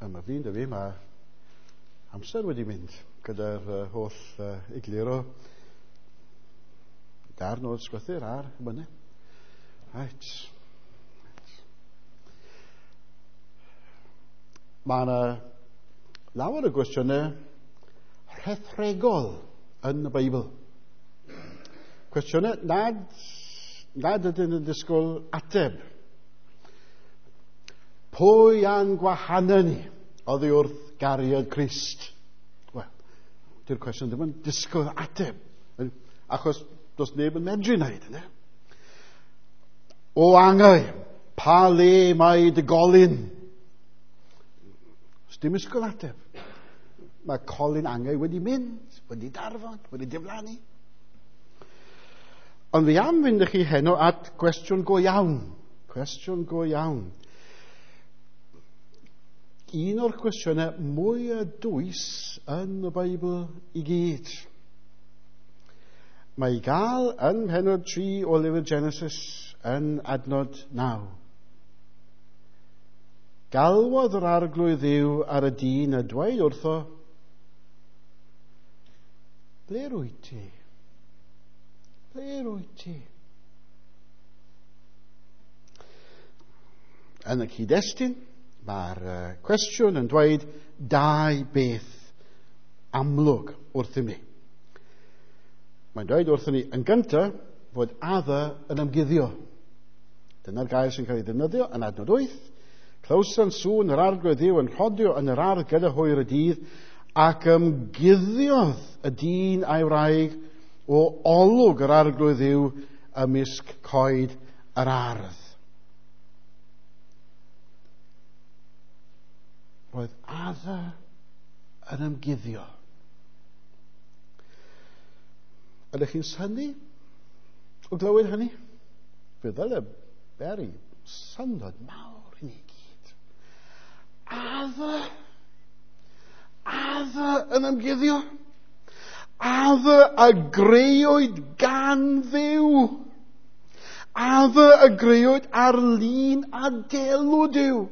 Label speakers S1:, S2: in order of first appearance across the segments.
S1: Yma flin dy fi, mae amser wedi mynd gyda'r holl egluro darn o'r sgrythyr a'r mynydd. Right. Mae yna lawer o gwestiynau rhethregol yn y Beibl. Cwestiynau nad, nad ydyn yn disgwyl ateb. Pwy a'n gwahanu ni oddi wrth gariad Crist? Wel, di'r cwestiwn ddim yn disgwyl ateb, achos does neb yn medru wneud, yna. O angau, pa le mae dy golyn? Does dim ysgol ateb. Mae colyn angau wedi mynd, wedi darfod, wedi diflannu. Ond fi am fynd â chi heno at gwestiwn go iawn. Cwestiwn go iawn. Un o'r cwestiynau mwyaf dwys yn y Beibl i gyd. Mae i gael yn mhenod 3 o lyfr Genesis yn adnod 9. Galwodd yr arglwydd Dduw ar y dyn a dweud wrtho, Ble rwyt ti? Ble rwyt ti? Yn y cyd-destun, mae'r cwestiwn yn dweud dau beth amlwg wrthym ni. Mae'n dweud wrthym ni yn gyntaf fod Adda yn ymguddio. Dyna'r gair sy'n cael ei ddefnyddio yn adnod 8. Clywson sŵn yr arglwydd Dduw yn rhodio yn yr ardd gyda hwyr y dydd, ac ymguddiodd y dyn a'i wraig o olwg yr arglwydd Dduw ymysg coed yr ardd. Roedd Adda yn ymguddio. Ydych chi'n synnu o glywed hynny? Fe ddyle beri syndod mawr i ni gyd. Adda yn ymguddio. Adda a greuwyd gan Dduw. Adda a greuwyd ar lun a delw Duw.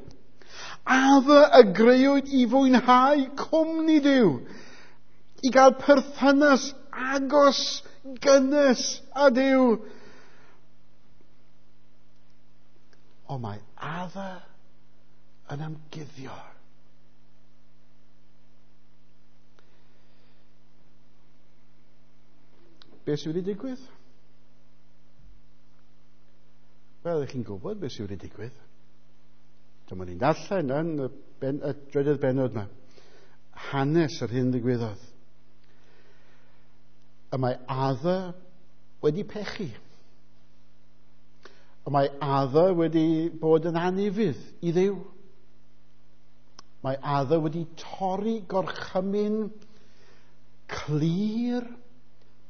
S1: Adda a greuwyd i fwynhau cwmni Duw, i gael perthynas agos, gynnes â Duw. Ond mae Adda yn ymguddio. Beth sydd wedi digwydd? Wel, ych chi'n gwybod beth sydd wedi digwydd. Dyma ni'n darllen yn y, y drydydd bennod yma. Hanes yr hyn ddigwyddodd. Y mae Adda wedi pechu. Y mae Adda wedi bod yn anufudd i Dduw. Mae Adda wedi torri gorchymyn clir,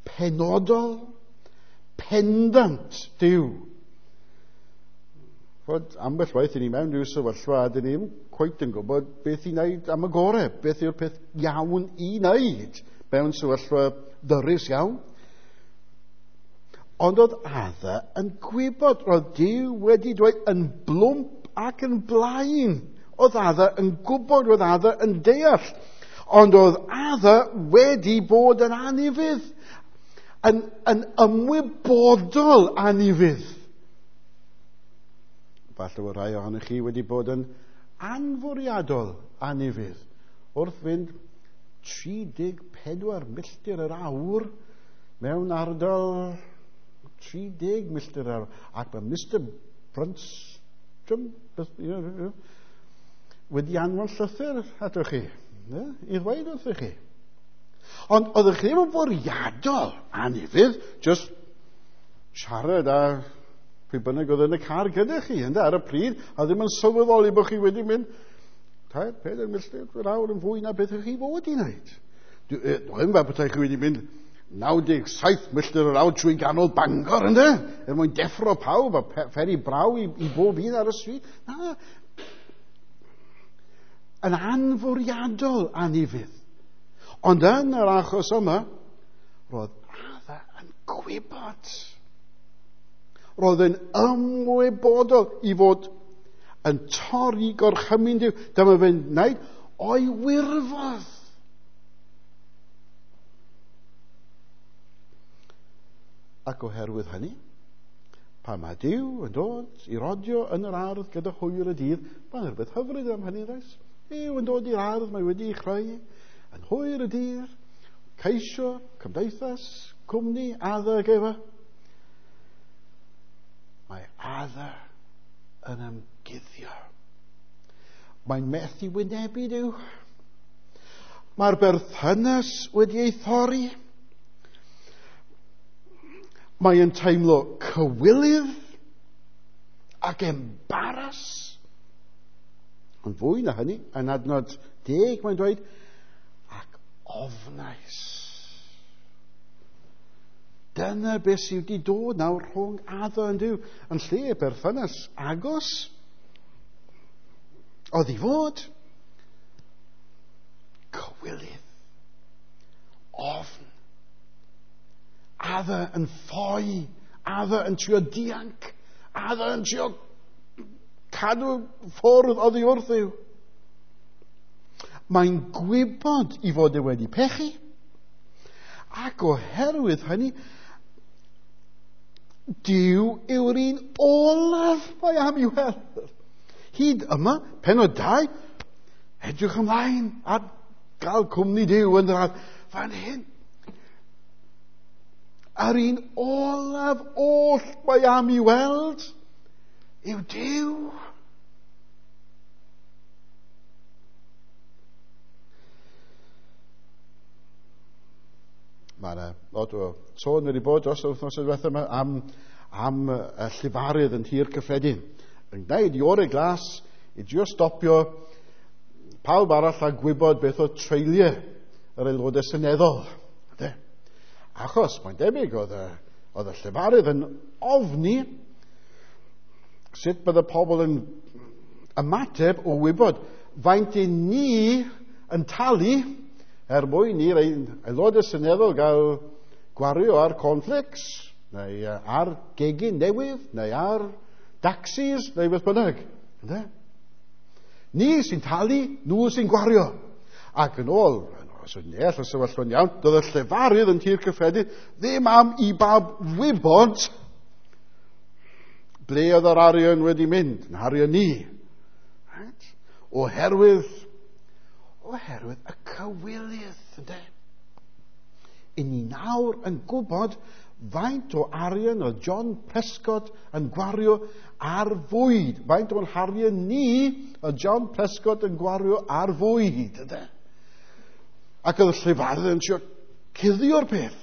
S1: penodol, pendant Duw. Fod ambell waith i ni mewn rhyw sefyllfa a dyn ni ddim cweit yn gwybod beth i wneud am y gorau, beth yw'r peth iawn i wneud mewn sefyllfa ddyrus iawn. Ond oedd Adda yn gwybod, roedd Duw wedi dweud yn blwmp ac yn blaen. Oedd Adda yn gwybod, roedd Adda yn deall. Ond oedd Adda wedi bod yn anufudd, yn ymwybodol anufudd. Falle bod rhai ohonych chi wedi bod yn anfwriadol anufudd wrth fynd 34 milltir yr awr mewn ardal 30 milltir yr awr. Ac mae Mr Brunstrom wedi anfon llythyr atoch chi, i ddweud wrthych chi. Ond oeddech chi ddim yn fwriadol anufudd, just siarad â pwy bynnag oedd yn y car gyda chi, ynde, ar y pryd, a ddim yn sylweddoli bod chi wedi mynd 3-4 milltir yr awr yn fwy na beth ych chi fod i wneud. Dwi'n fel petai chi wedi mynd 97 milltir yr awr trwy ganol Bangor, ynde, er mwyn deffro pawb a pheri braw i bob un ar y stryd. Na, yn anfwriadol anufudd. Ond yn yr achos yma, roedd Adda yn gwybod. Roedd yn ymwybodol i fod yn torri gorchymyn Duw. Dyma fe'n wneud o'i wirfodd. Ac oherwydd hynny, pan mae Duw yn dod i rodio yn yr ardd gyda hwyr y dydd, mae'n rhywbeth hyfryd am hynny, does? Duw yn dod i'r ardd, mae wedi ei chreu, yn hwyr y dydd, ceisio, cymdeithas, cwmni, Adda ag Efa. Mae Adda yn ymguddio. Mae'n methu wynebu Duw. Mae'r berthynas wedi ei thorri. Mae yn teimlo cywilydd ac embaras. Ond fwy na hynny, yn adnod 10 mae'n dweud, ac ofnais. Dyna beth sydd wedi dod nawr rhwng Adda yn Duw, yn lle berthynas agos oedd i fod cywilydd, ofn. Adda yn ffoi, Adda yn trio dianc, Adda yn trio cadw ffwrdd oddi wrth Dduw. Mae'n gwybod i fod e wedi pechu, ac oherwydd hynny, Duw yw'r un olaf mae am i'w weld. Hyd yma, pennod 2, edrych ymlaen at gael cwmni Duw yn yr ardd. Fan hyn, yr un olaf oll mae am i weld yw Duw. Mae yna lot o sôn wedi bod dros yr wythnos diwethaf yma am y llefarydd yn Nhŷ'r Cyffredin. Yn gwneud i orau glas i drio stopio pawb arall a gwybod beth oedd treuliau yr aelodau seneddol. Ynde? Achos mae'n debyg oedd y llefarydd yn ofni sut bydde pobl yn ymateb o wybod faint i ni yn talu er mwyn i'r aelodau seneddol gael gwario ar cornflakes, neu ar gegin newydd, neu ar taxis, neu beth bynnag. Ynde? Ni sy'n talu, nhw sy'n gwario. Ac yn ôl, os ydyn ni all y sefyllfa'n iawn, doedd y llefarydd yn Nhŷ'r Cyffredin ddim am i bawb wybod ble oedd yr arian wedi mynd, yn arian ni. Right? Oherwydd y cywilydd, ynde? I ni nawr yn gwybod faint o arian oedd John Prescott yn gwario ar fwyd. Faint o'n harian ni oedd John Prescott yn gwario ar fwyd, ynde? Ac oedd y llefarydd yn trio cuddio'r peth,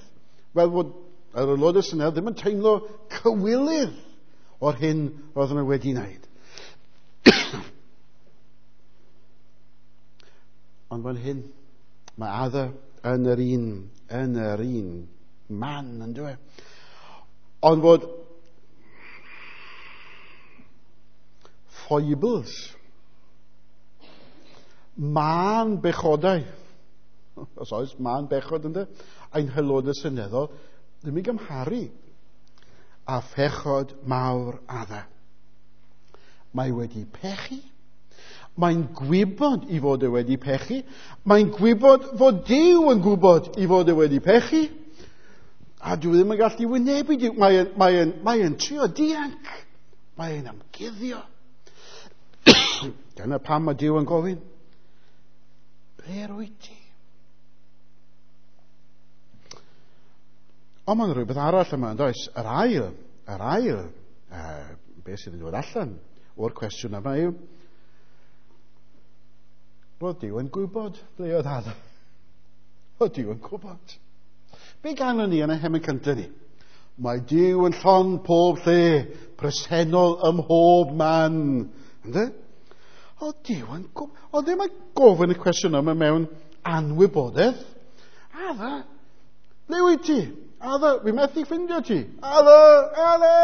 S1: fel fod yr aelodau seneddol ddim yn teimlo cywilydd o'r hyn roedden nhw wedi wneud. Ond fan hyn, mae Adda yn yr un man, yn dweud. Ond fod foibles, mân bechodau, os oes mân bechod ynddo, ein haelodau seneddol, ddim i gymharu â phechod mawr Adda. Mae wedi pechu. Mae'n gwybod i fod e wedi pechu. Mae'n gwybod fod Duw yn gwybod i fod e wedi pechu. A dwi ddim yn gallu wynebu Duw. Mae'n trio dianc. Mae'n ymguddio. Dyna pam mae Duw yn gofyn, ble rwyt ti? Ond mae'n rhywbeth arall yma, yn does? Yr ail, beth sydd yn dod allan o'r cwestiwn yma yw, roedd Duw yn gwybod ble oedd Adda. Roedd Duw yn gwybod. Be ganon ni yn y hemyn cyntaf ni? Mae Duw yn llond pob lle, presennol ym mhob man. Ynde? Oedd Duw yn gwybod. Oedd ddim yn gofyn y cwestiwn yma mewn anwybodaeth. Adda, ble wyt ti? Adda, fi methu ffindio ti. Adda, Adda!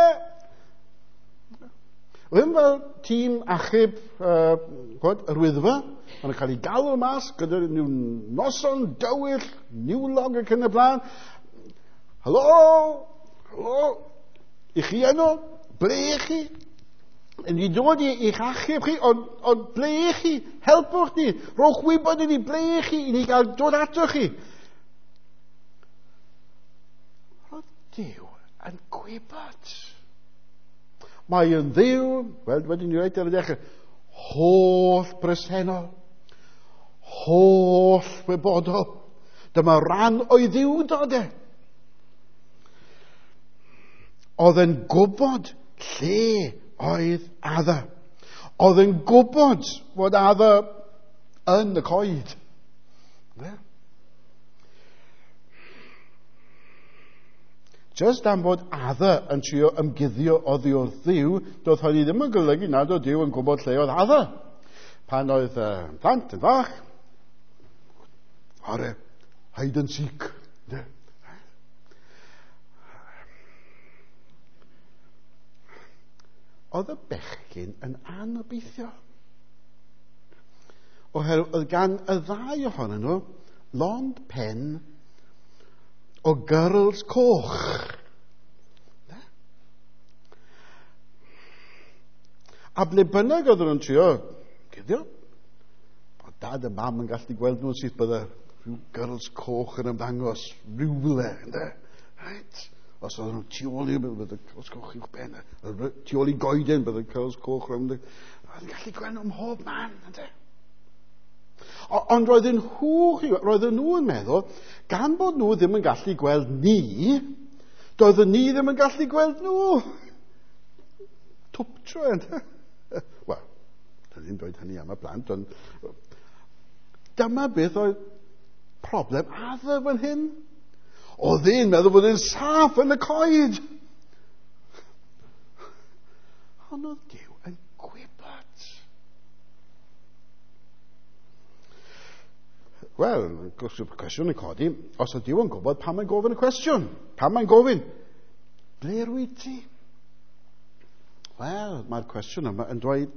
S1: Ddim fel tîm achub yr Wyddfa, maen nhw'n cael ei galw mas gyda nhw noson dywyll, niwlog ac yn y blaen. Helo, helo, i chi enw, ble i chi? Ni dod i'ch achub chi, ond ble i chi? Helpwch ni, rhowch wybod i ni ble i chi, i ni gael dod ato chi. Roedd Duw yn gwybod. Mae yn Dduw, wel, wedyn ni reit ar y dechrau, holl bresennol, holl wybodol. Dyma ran o'i ddiwdod e. Oedd yn gwybod lle oedd Adda. Oedd yn gwybod fod Adda yn y coed. Yeah. Just am fod Adda yn trio ymguddio oddi wrth Dduw, doedd hynny ddim yn golygu nad oedd Duw yn gwybod lle oedd Adda. Pan oedd plant yn fach, are hide and seek. Yeah. Oedd y bechgyn yn anobeithio. Oherwydd oedd gan y ddau ohonyn nhw lond pen o gyrls coch. Ne? A ble bynnag oedden nhw'n trio cuddio, oedd dad a mam yn gallu gweld nhw'n syth bydde rhyw gyrls coch yn ymddangos rhywle. Ynde? Right? Os oedden nhw tu ôl i, bydde curls coch uwch ben, tu ôl i goeden, bydde curls coch rownd. Oedd yn gallu gweld nhw ym mhob man, ynde? Ond roedden nhw, roedden nhw yn meddwl, gan bod nhw ddim yn gallu gweld ni, doedden ni ddim yn gallu gweld nhw. Twptro, ynde? Wel, dyn ni'n dweud hynny am y plant, ond dyma beth oedd problem Adda fan hyn. Oedd e'n meddwl bod e'n saff yn y coed. Ond oedd Duw yn gwybod. Wel, cwestiwn yn codi, os oedd Duw yn gwybod, pam mae'n gofyn y cwestiwn? Pam mae'n gofyn? Ble rwyt ti? Wel, mae'r cwestiwn yma yn dweud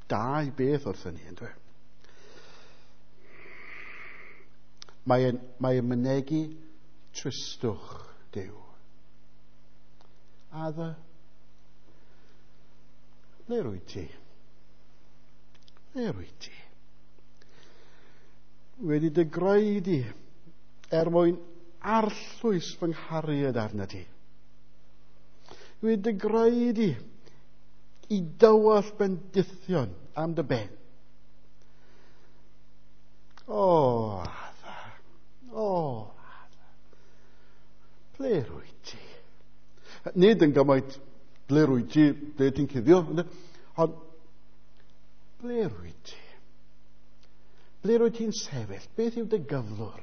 S1: dau beth wrthyn ni, yn dweud. Mae'n mynegi tristwch Duw. Adda, ble rwyt ti? Ble rwyt ti? Wedi dy greu di er mwyn arllwys fy nghariad arna ti. Wedi dy greu di i dywall bendithion am dy ben. O, Adda, o, Adda, ble rwyt ti? Nid yn gymaint ble rwyt ti, ble ti'n cuddio, ond ble rwyt ti? Ble rwyt ti'n sefyll? Beth yw dy gyflwr?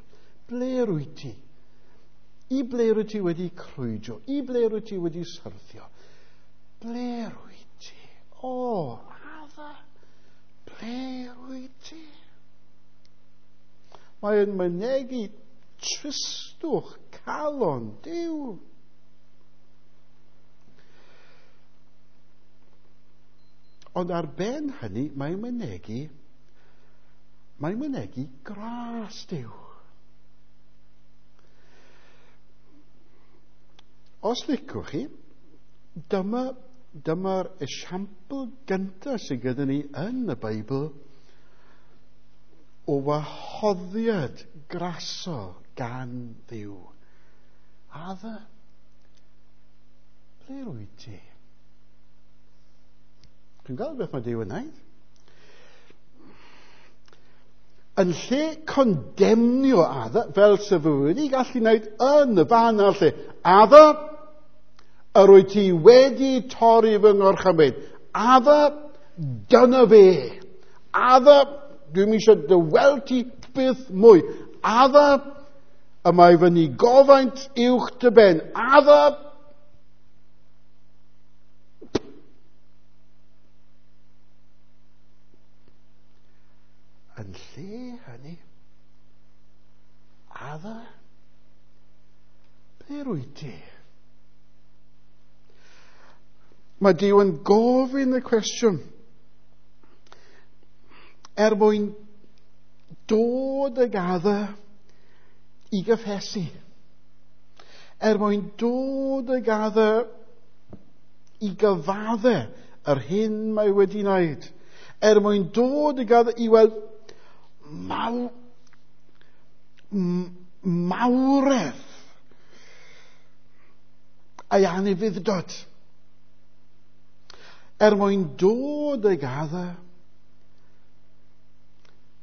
S1: Ble rwyt ti? I ble rwyt ti wedi crwydro? I ble rwyt ti wedi syrthio? Ble rwyt ti? O, Adda, ble rwyt ti? Mae'n mynegi tristwch calon Duw. Ond ar ben hynny, mae'n mynegi gras Duw. Os licwch chi, dyma'r esiampl gyntaf sydd gyda ni yn y Beibl o wahoddiad grasol gan Dduw. Adda, ble rwyt ti? Dwi'n gweld beth mae Duw yn wneud. Yn lle condemnio Adda, fel sef wedi gallu wneud yn y fan a'r lle, Adda, yr wyt ti wedi torri fy ngorchymyn. Adda, dyna fe. Adda, dwi'm eisiau dy weld ti byth mwy. Adda, y mae fy nigofaint uwch dy ben. Adda, yn lle hynny, Adda, ble rwyt ti? Mae Duw yn gofyn y cwestiwn er mwyn dod ag Adda i gyffesu, er mwyn dod ag Adda i gyfadde yr hyn mae wedi wneud, er mwyn dod i gael i weld mawredd ei anufudd-dod, er mwyn dod ag Adda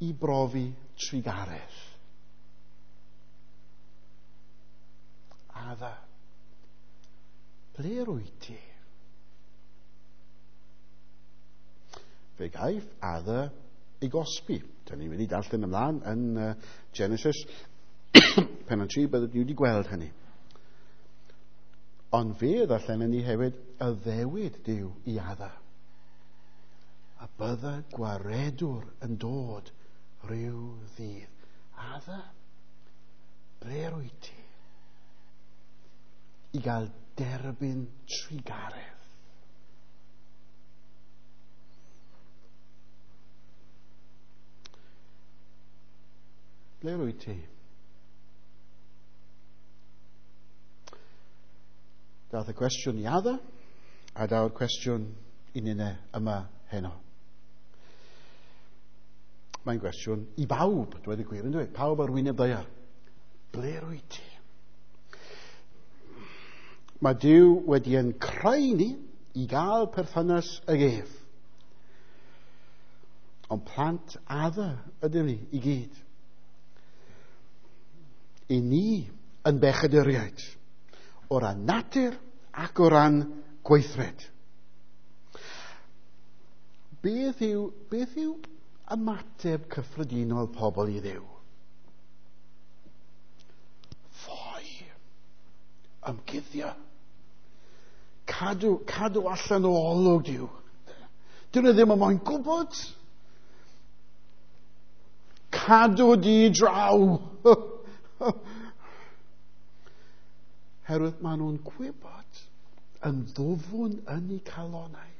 S1: i brofi trugaredd. Adda, ble rwyt ti? Fe gaiff Adda ei gosbi. Dyna ni'n mynd i darllen ymlaen yn Genesis pennod 3, byddwn ni wedi gweld hynny. Ond fe ddarllenon ni hefyd addewid Duw i Adda. A bydda gwaredwr yn dod rhyw ddydd. Adda, ble rwyt ti? I gael derbyn trugaredd. Ble rwyt ti? Dath y cwestiwn i Adda, a daw'r cwestiwn i ninne yma heno. Mae'n gwestiwn i bawb, dweud y gwir, yn dweud, pawb ar wyneb ddaear. Ble rwyt ti? Mae Duw wedi ein creu ni i gael perthynas ag ef. Ond plant Adda ydym ni i gyd. I ni yn bechaduriaid, o ran natur ac o ran gweithred. Beth yw ymateb cyffredinol pobl i Dduw? Ffoi. Ymguddio. Cadw allan o olwg Duw. Dyn nhw ddim yn moyn gwybod. Cadw di draw. Herwydd maen nhw'n gwybod yn ddwfwn yn eu calonau.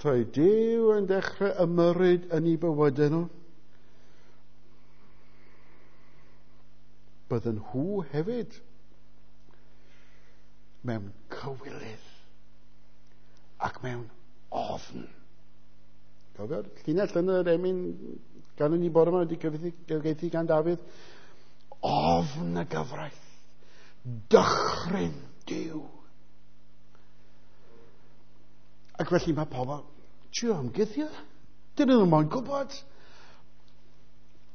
S1: Troi Duw yn dechrau ymyrryd yn eu bywydau nhw. Bydden nhw hefyd mewn cywilydd ac mewn ofn. Cofio'r llinell yn yr emyn gan ni bore yma wedi cyfieithu gan Dafydd? Ofn y gyfraith. Dychryn Duw. Ac felly mae pobl trio ymguddio. Dyn nhw ddim yn gwybod.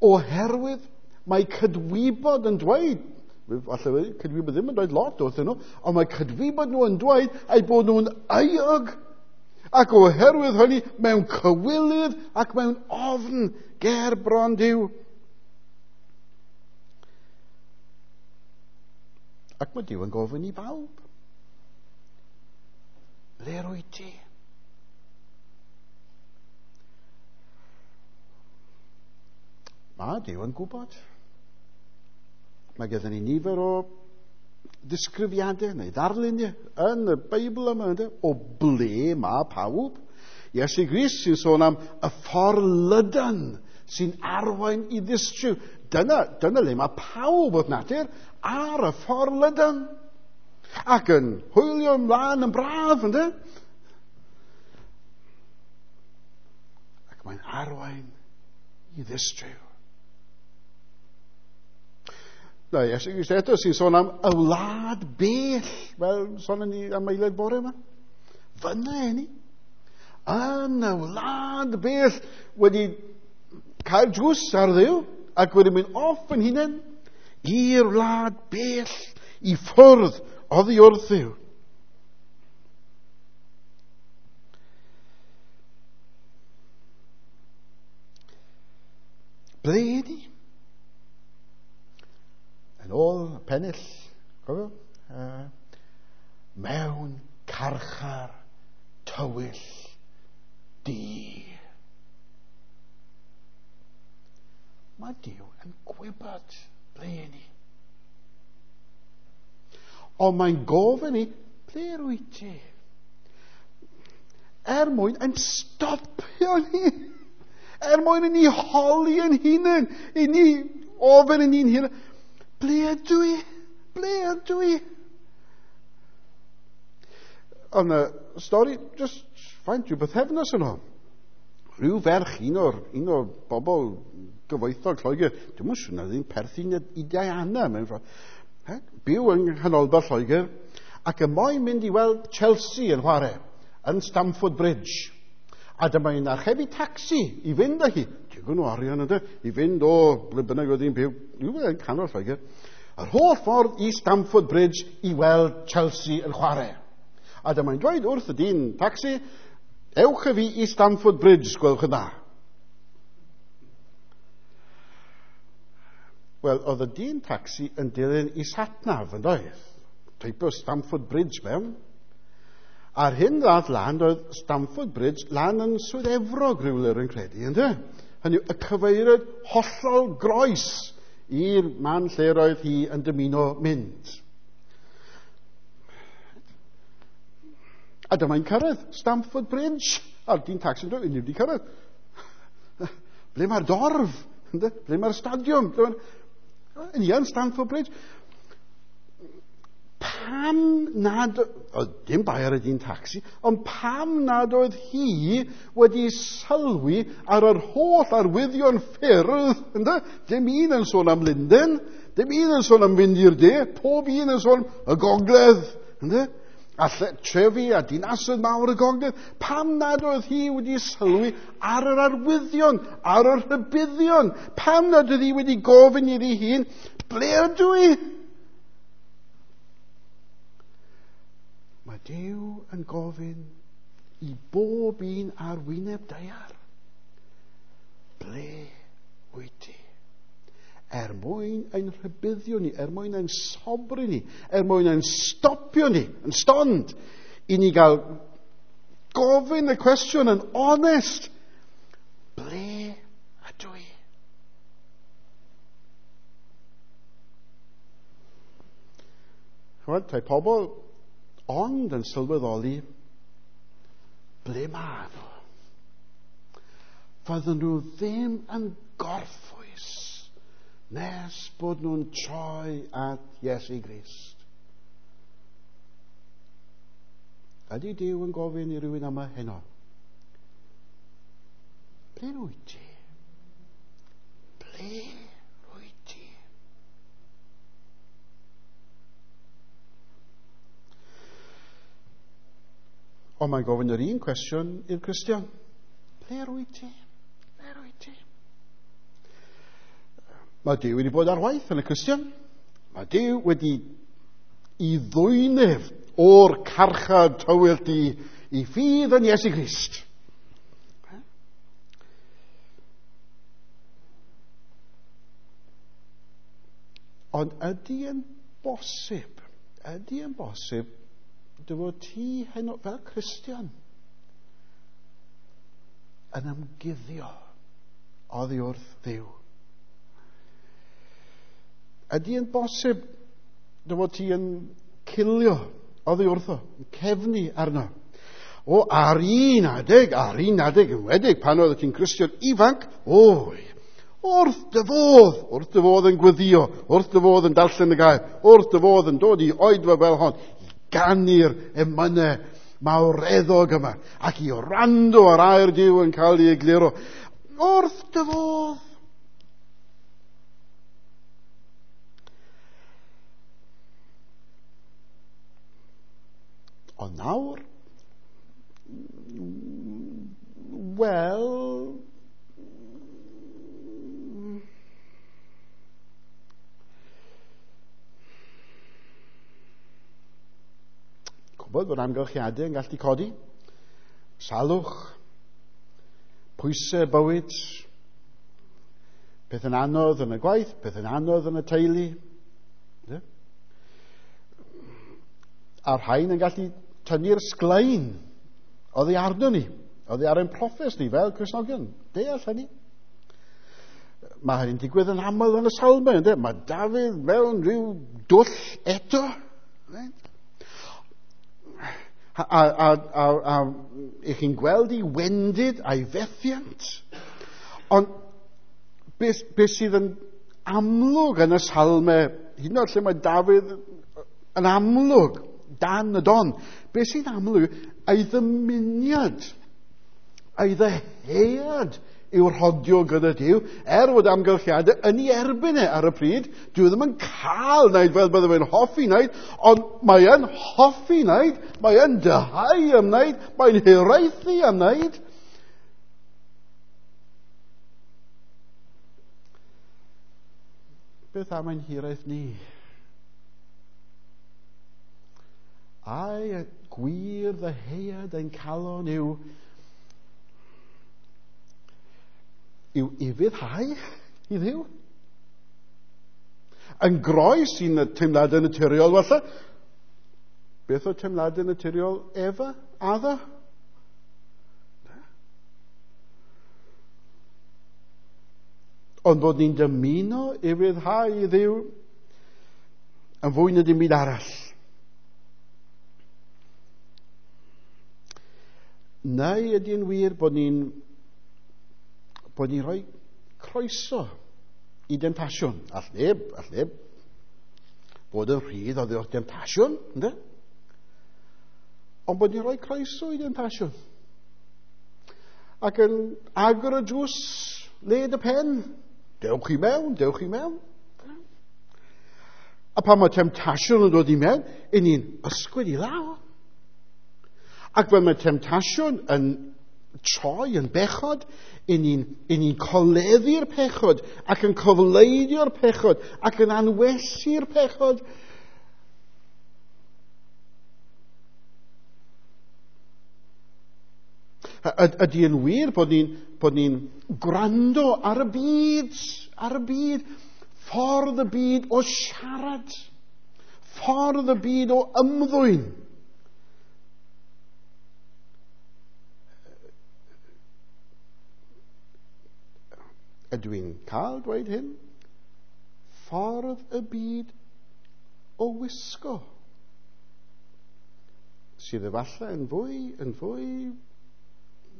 S1: Oherwydd mae cydwybod yn dweud, falle cydwybod ddim yn dweud lot wrthyn nhw, ond mae cydwybod nhw yn dweud eu bod nhw'n euog. Ac oherwydd hynny mewn cywilydd ac mewn ofn ger bron Duw. Ac mae Duw yn gofyn i bawb. Ble rwyt ti? Mae Duw yn gwybod. Mae gyda ni nifer o ddisgrifiadau neu ddarluniau yn y Beibl yma, ynddo, o ble mae pawb. Iesu Grist sy'n sôn am y ffordd lydan sy'n arwain i ddistryw. Dyna le mae pawb wrth natur ar y ffordd lydan. Ac yn hwylio ymlaen yn braf, ynddo? Ac mae'n arwain i ddistryw. Na, Iesu Grist eto sy'n sôn am y wlad bell, fel sôn ni am aelod bore yma. Fyna ni. Yn y wlad bell wedi cael drws ar Dduw ac wedi mynd off yn hunain i'r wlad bell i ffwrdd oddi wrth Dduw. Ble ydi? Yn ôl pennill, cofio? Mewn carchar tywyll du. Mae Duw yn gwybod ble ni. Ond mae'n gofyn i, ble rwyt ti? Er mwyn yn stopio ni. Er mwyn i ni holi yn hunain, i ni ofyn yn ni'n hunain, ble ydw i? Ble ydw i? Ond y stori, just faint, rhyw bythefnos yn ôl. Rhyw ferch, un o'r bobl gyfoethog Lloegr, dim yn siŵr na ddim perthyn i Diana, mewn ffordd. Byw yng nghanolbarth Lloegr, ac y moyn mynd i weld Chelsea yn chwarae, yn Stamford Bridge. A dyma hi'n archebu tacsi i fynd â hi. Digon o arian ynddo, i fynd o ble bynnag oedd hi'n byw, yn canol Lloegr. Yr holl ffordd i Stamford Bridge i weld Chelsea yn chwarae. A dyma hi'n dweud wrth y dyn tacsi, ewch â fi i Stamford Bridge, gwelwch yn dda. Wel, oedd y dyn tacsi yn dilyn i satnaf yn doedd. Teipio Stamford Bridge mewn. A'r hyn ddath lan oedd Stamford Bridge lan yn Swydd Efrog rhywle rwy'n credu, ynddo? Hynny yw, y cyfeiriad hollol groes i'r man lle roedd hi yn dymuno mynd. A dyma'n cyrraedd Stamford Bridge. A'r dyn tacsi'n dweud, ni wedi cyrraedd. Ble mae'r dorf? Ble mae'r stadiwm? Yn iawn, Stamford Bridge. Pam nad, oedd dim bai ar y dyn tacsi, ond pam nad oedd hi wedi sylwi ar yr holl arwyddion ffyrdd, ynddo? Dim un yn sôn am Lundain, dim un yn sôn am fynd i'r de, pob un yn sôn y gogledd, ynddo? A trefi a dinasoedd mawr y gogledd. Pam nad oedd hi wedi sylwi ar yr arwyddion, ar y rhybuddion? Pam nad oedd hi wedi gofyn iddi hun, ble ydw i? Mae Duw yn gofyn i bob un ar wyneb daear, ble wyt ti? Er mwyn ein rhybuddio ni, er mwyn ein sobri ni, er mwyn ein stopio ni, yn stond, i ni gael gofyn y cwestiwn yn onest, ble ydw i? Chymod, tai pobl ond yn sylweddoli ble ma nhw. Fydden nhw ddim yn gorffwys nes bod nhw'n troi at Iesu Grist. Ydy Duw yn gofyn i rywun yma heno? Ble wyt ti? Ble wyt ti? Ond mae'n gofyn yr un cwestiwn i'r Cristion. Ble wyt ti? Ble wyt ti? Mae Duw wedi bod ar waith yn y Cristion. Mae Duw wedi i ddwynef o'r carchar tywyll di i ffydd yn Iesu Grist. Ond ydy yn bosib, ydy yn bosib dy fod ti heno fel Cristion yn ymguddio oddi wrth Dduw? Ydy yn bosib dy fod ti yn cilio oddi wrtho, yn cefnu arno? O, ar un adeg enwedig, pan oedd ti'n Cristion ifanc, oi, wrth dy fodd yn gweddio, wrth dy fodd yn darllen y gair, wrth dy fodd yn dod i oedfa fel hon, i ganu'r emynau mawreddog yma, ac i wrando ar air Duw yn cael ei egluro. Wrth dy fodd. Ond nawr, wel, gwybod bod amgylchiadau yn gallu codi, salwch, pwysau bywyd, peth yn anodd yn y gwaith, peth yn anodd yn y teulu. A'r rhain yn gallu tynnu'r sglein oddi arno ni, oddi ar ein proffes ni fel Cristnogion. Deall hynny. Mae hynny'n digwydd yn aml yn y Salmau, ynddo? Mae Dafydd mewn rhyw dwll eto. Right? A i chi'n gweld ei wendid a'i fethiant. Ond beth sydd yn amlwg yn y Salmau, hyd yn oed lle mae Dafydd yn amlwg dan y don. Be sy'n amlwg, ei ddymuniad, ei ddyhead yw rhodio gyda Duw, er fod amgylchiadau yn ei erbyn e ar y pryd, dyw e ddim yn cael wneud fel bydde fe'n hoffi wneud, ond mae e'n hoffi wneud, mae e'n dyhau am wneud, mae'n hiraethu am wneud. Beth am ein hiraeth ni? Ai y gwir ddyheuad ein calon yw ufuddhau i Dduw? Yn groes i'n teimladau naturiol falle. Beth oedd teimladau naturiol Efa? Adda? Ond bod ni'n dymuno ufuddhau i Dduw yn fwy na dim byd arall. Neu ydy'n wir bod ni'n rhoi croeso i demtasiwn? All neb bod yn rhydd oddi wrth demtasiwn, ynddo? Ond bod ni'n rhoi croeso i demtasiwn. Ac yn agor y drws led y pen. Dewch i mewn, dewch i mewn. A pan mae temtasiwn yn dod i mewn, i ni'n ysgwyd i law. Ac pan mae temtasiwn yn troi yn bechod, i ni'n coleddu'r pechod, ac yn cofleidio'r pechod, ac yn anwesu'r pechod. Ydy yn wir bod ni'n gwrando ar y byd, ffordd y byd o siarad, ffordd y byd o ymddwyn. Ydw i'n cael dweud hyn? Ffordd y byd o wisgo, sydd efallai yn fwy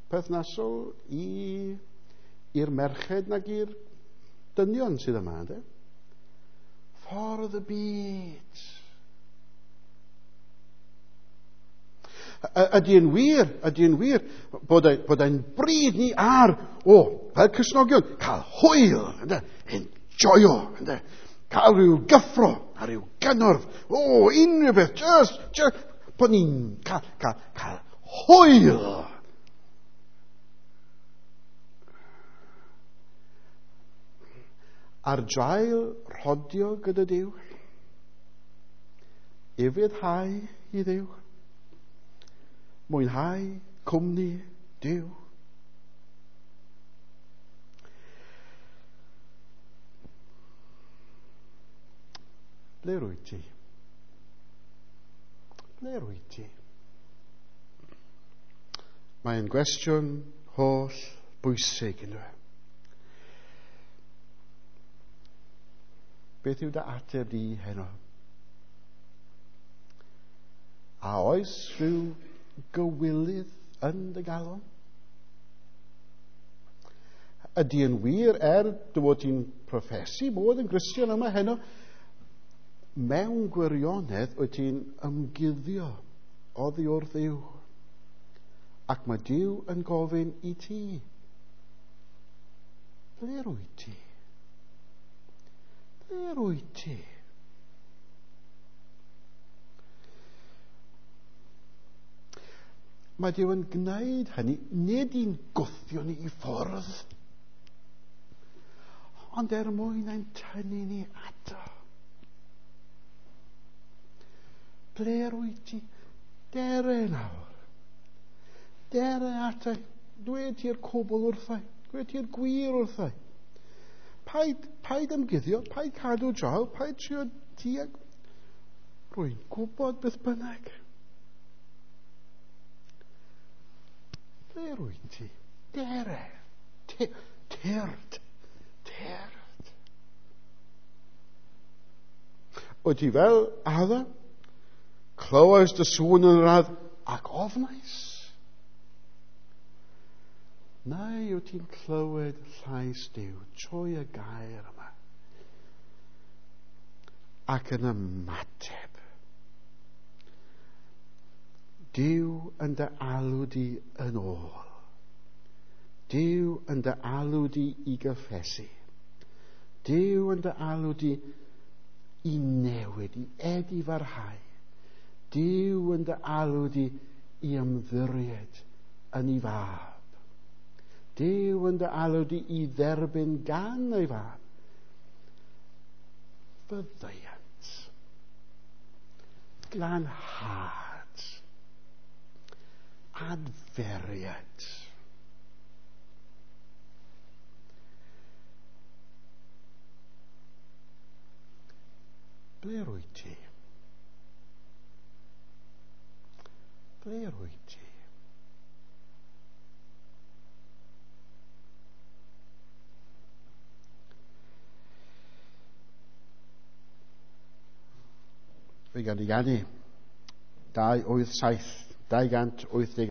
S1: perthnasol i'r merched nag i'r dynion sydd yma, ynddo? Ffordd y byd. Ydy yn wir bod ein bryd ni ar, fel Cristnogion, cael hwyl, ynddo? Enjoyo, ynddo? Cael rhyw gyffro a rhyw gynnwrf, unrhyw beth, just, bod ni'n cael hwyl. Ar draul rhodio gyda Duw, ufuddhau i Dduw, mwynhau cwmni Duw. Ble rwyt ti? Ble rwyt ti? Mae'n gwestiwn holl bwysig, ynddo e? Beth yw dy ateb di heno? A oes rhyw gywilydd yn dy galon? Ydy yn wir, er dy fod ti'n proffesu bod yn Gristion yma heno, mewn gwirionedd wyt ti'n ymguddio oddi wrth Dduw. Ac mae Duw yn gofyn i ti, ble rwyt ti? Ble rwyt ti? Mae Duw yn gwneud hynny, nid i'n gwthio ni i ffwrdd, ond er mwyn ein tynnu ni ato. Ble rwyt ti? Dere nawr. Dere ato. Dweud ti'r cwbl wrthau. Dweud ti'r gwir wrthau. Paid ymguddio, paid cadw draw, paid trio diag. Rwy'n gwybod beth bynnag. Ble rwyt ti? Dere. Tyrd. Tyrd. Wyt ti fel Adda? Clywais dy sŵn yn yr ardd ac ofnais. Neu wyt ti'n clywed llais Duw trwy y gair yma ac yn ymateb. Duw yn dy alw di yn ôl. Duw yn dy alw di i gyffesu. Duw yn dy alw di i newid, i edifarhau. Duw yn dy alw di i ymddiried yn ei fab. Duw yn dy alw di i dderbyn gan ei fab. Faddeuant. Glanhad. Adferiad. Ble rwyt ti? Ble rwyt ti? Fe gan i ganu. 287, 287.